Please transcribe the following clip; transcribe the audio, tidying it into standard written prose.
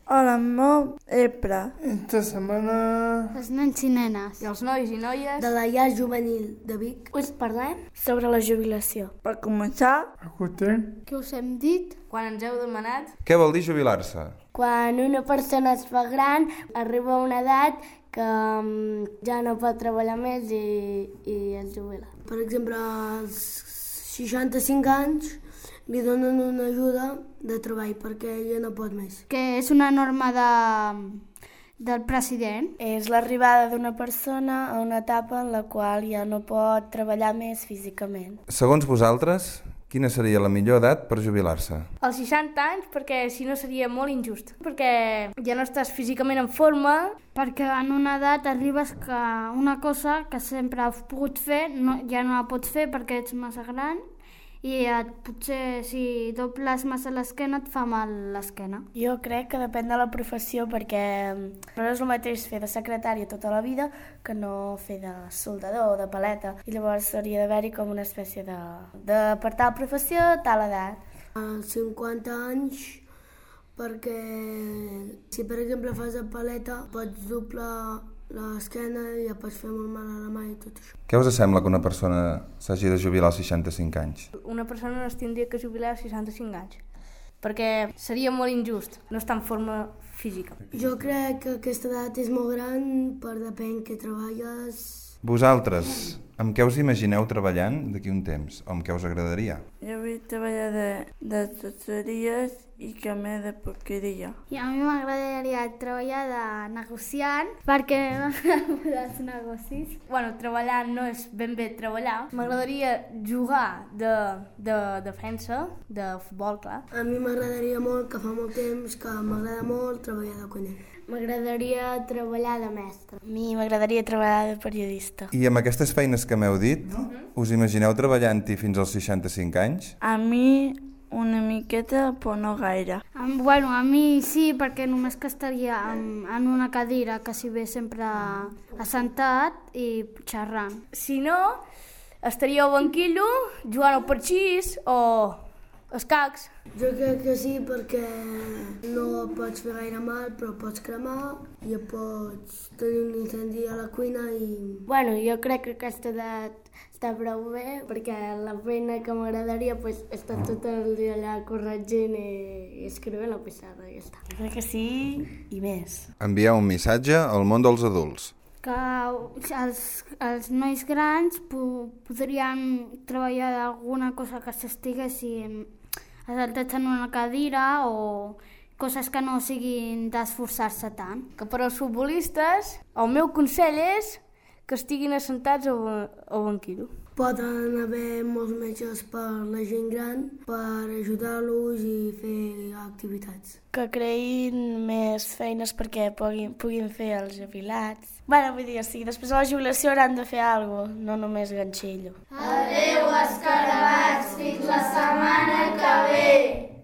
Hola, meu EPRA. Esta setmana... Els nens i nenes. I els nois i noies de la llar juvenil de Vic us parlem sobre la jubilació. Per començar, Escoltem. Què us hem dit? quan ens heu demanat. Què vol dir jubilar-se? Quan una persona es fa gran, arriba a una edat que ja no pot treballar més i es jubila. Per exemple, als 65 anys li donen una ajuda de treball perquè ella no pot més. Que és una norma del president. És l'arribada d'una persona a una etapa en la qual ja no pot treballar més físicament. Segons vosaltres, quina seria la millor edat per jubilar-se? Als 60 anys, perquè si no seria molt injust. Perquè ja no estàs físicament en forma. Perquè en una edat arribes que una cosa que sempre has pogut fer ja no la pots fer perquè ets massa gran i potser si dobles massa l'esquena et fa mal l'esquena. Jo crec que depèn de la professió perquè no és el mateix fer de secretària tota la vida que no fer de soldador o de paleta. I llavors hauria d'haver-hi com una espècie de per tal professió, tal edat. Als 50 anys perquè si per exemple fas de paleta pots doblar l'esquena i ja pots fer molt mal a la mà i tot això. Què us sembla que una persona s'hagi de jubilar als 65 anys? Una persona no es tindria que jubilar als 65 anys, perquè seria molt injust no estar en forma física. Jo crec que aquesta edat és molt gran per depèn què treballes. Vosaltres, amb què us imagineu treballant d'aquí un temps? O amb què us agradaria? jo vull treballar de toteries i que m'he de porqueria. I a mi m'agradaria treballar de negociant perquè m'agraden els negocis. Bueno, treballar no és ben bé treballar. M'agradaria jugar de defensa, de futbol, clar. A mi m'agradaria molt, que fa molt temps que m'agrada molt treballar de cuiner. M'agradaria treballar de mestre. A mi m'agradaria treballar de periodista. I amb aquestes feines que m'heu dit, us imagineu treballant-hi fins als 65 anys? A mi una miqueta, però no gaire. Bueno, a mi sí, perquè només que estaria en una cadira, quasi bé sempre assentat i xerrant. Si no, estaria al banquillo jugant al parxís o escacs. Jo crec que sí, perquè no pots fer gaire mal, però pots cremar i pots tenir un incendi a la cuina i... Bueno, jo crec que aquesta edat està prou bé, perquè la feina que m'agradaria és estar tot el dia allà corregint i escrivint a la pissarra i ja està. Jo crec que sí i més. Enviar un missatge al món dels adults. Que els nois grans podrien treballar d'alguna cosa que s'estiguessin assaltats en una cadira o coses que no siguin d'esforçar-se tant. Que per als futbolistes, el meu consell és que estiguin assentats al banquillo. Poden haver molts metges per la gent gran per ajudar-los i fer activitats. Que creïn més feines perquè puguin fer els jubilats. Bueno, vull dir, sí, després de la jubilació hauran de fer alguna cosa, no només ganxillo. Adéu, escarabats, fins la setmana que ve!